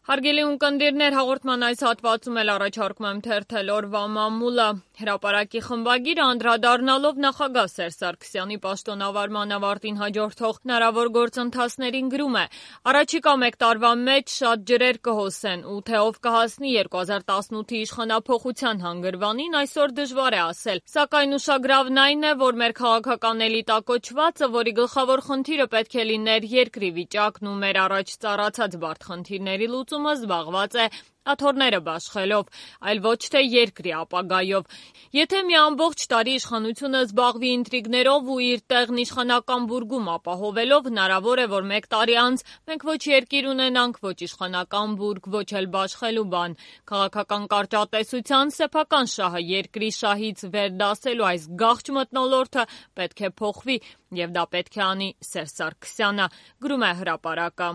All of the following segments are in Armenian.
Հարգելի ունկնդիրներ, հաղորդման այս հատվածում էլ առաջարկում եմ թերթել օրվա մամուլը։ Հրապարակի խմբագիրը անդրադառնալով նախագահ Սերժ Սարգսյանի պաշտոնավարման ավարտին հաջորդող հնարավոր գործընթացներին գրում է. «Առաջիկա մեկ տարվա մեջ շատ ջրեր կհոսեն ու թե ով կհասնի 2018-ի իշխանափոխության հանգրվանին այսօր դժվար է ասել, սակայն ուշագրավն այն է, որ մեր քաղաքական էլիտակոչվածը, որի գլխավոր խնդիրը պետք է լիներ երկրի վիճակն ու մեր առաջ ծառացած բարդ խնդիրների լուծումը զբաղված է աթոռները բաշխելով, այլ ոչ թե երկրի ապագայով։ Եթե մի ամբողջ տարի իշխանությունը զբաղվի ինտրիգներով ու իր տեղն իշխանական բուրգում ապահովելով, հնարավոր է, որ մեկ տարի անց մենք ոչ երկիր ունենանք, ոչ իշխանական բուրգ, ոչ էլ բաշխելու բան։ Քաղաքական կարճատեսության սեփական շահը երկրի շահից վեր դասելու այս գաղճ մթնոլորտը պետք է փոխվի, եւ դա պետք է անի Սերժ Սարգսյանը», գրում է Հրապարակը։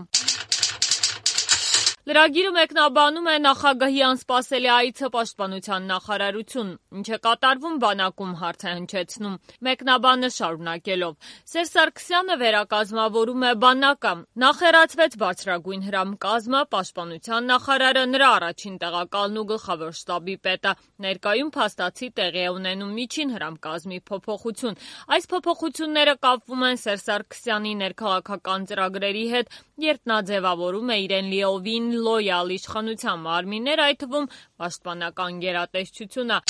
Լրագիրը մեկնաբանում է նախագահի անսպասելի այցը պաշտպանության նախարարություն, ինչ է կատարվում բանակում, հարց է հնչեցնում, մեկնաբանը շարունակելով. Սերժ Սարգսյանը վերակազմավորում է բանակը, նախեռացվեց բարձրագույն հրամկազմը, պաշտպանության նախարարը, նրա առաջին տեղակալն ու գլխավոր շտաբի պետը, ներկայում փաստացի տեղի է ունենում միջին հրամկազմի փոփոխություն։ Այս փոփոխությունները կապվում են Սերժ Սարգսյանի ներքաղաքական ծրագրերի հետ, երբ նա ձևավորում է իրեն լիովին լոյալ իշխանության մարմիններ, այդ թվում պաշտպանական գերատեսչությունը։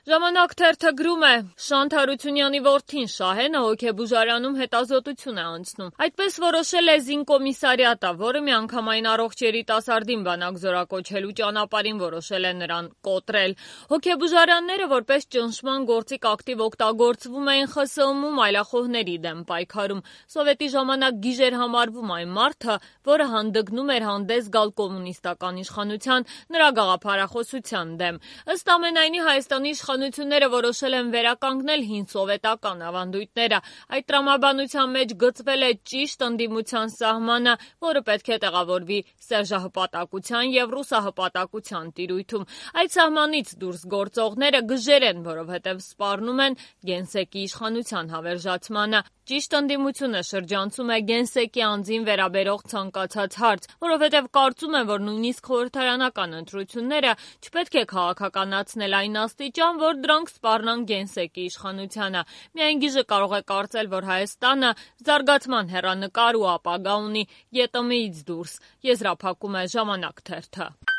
Ժամանակ թերթը գրում է. Շանթ Հարությունյանի որդին Շահենը հոգեբուժարանում հետազոտություն է անցնում։ Այդպես որոշել է զինկոմիսարիատը, որը միանգամայն առողջ երիտասարդին բանակ զորակոչելու ճանապարհին որոշել է նրան կոտրել։ Հոգեբուժարանները որպես ճնշման գործիք ակտիվ օգտագործվում էին ԽՍՀՄ-ում այլախոհների դեմ պայքարում։ Սովետի ժամանակ գիժեր համարվում այն մարդը, որը հանդգնում էր հանդես գալ կոմունիստական իշխանության, նրա գաղափարախոսության դեմ։ Ըստ ամենայնի Հայաստանի իշխանությունները որոշել են վերականգնել հին սովետական ավանդույթները։ Այդ տրամաբանության մեջ գծվել է ճիշտ ընդդիմության սահմանը, որը պետք է տեղավորվի սերժահպատակության եւ ռուսահպատակության տիրույթում։ Այդ սահմանից դուրս գործողները գժեր են, որովհետեւ սպառնում են գենսեկի իշխանության հավերժացմանը։ Ճիշտ ընդդիմությունը շրջանցում է գենսեկի անձին վերաբերող ցանկացած հարց, որովհետև կարծում են, որ նույնիսկ խորհրդարանական ընտրությունները չպետք է քաղաքականացնել այն աստիճան, որ դրանք սպառնան գենսեկի իշխանությանը։ Միայն գիժը կարող է կարծել, որ Հայաստանը զարգացման հեռանկար ու ապագա ունի ԵՏՄ-ից դուրս, եզրափակում է Ժամանակ թերթը։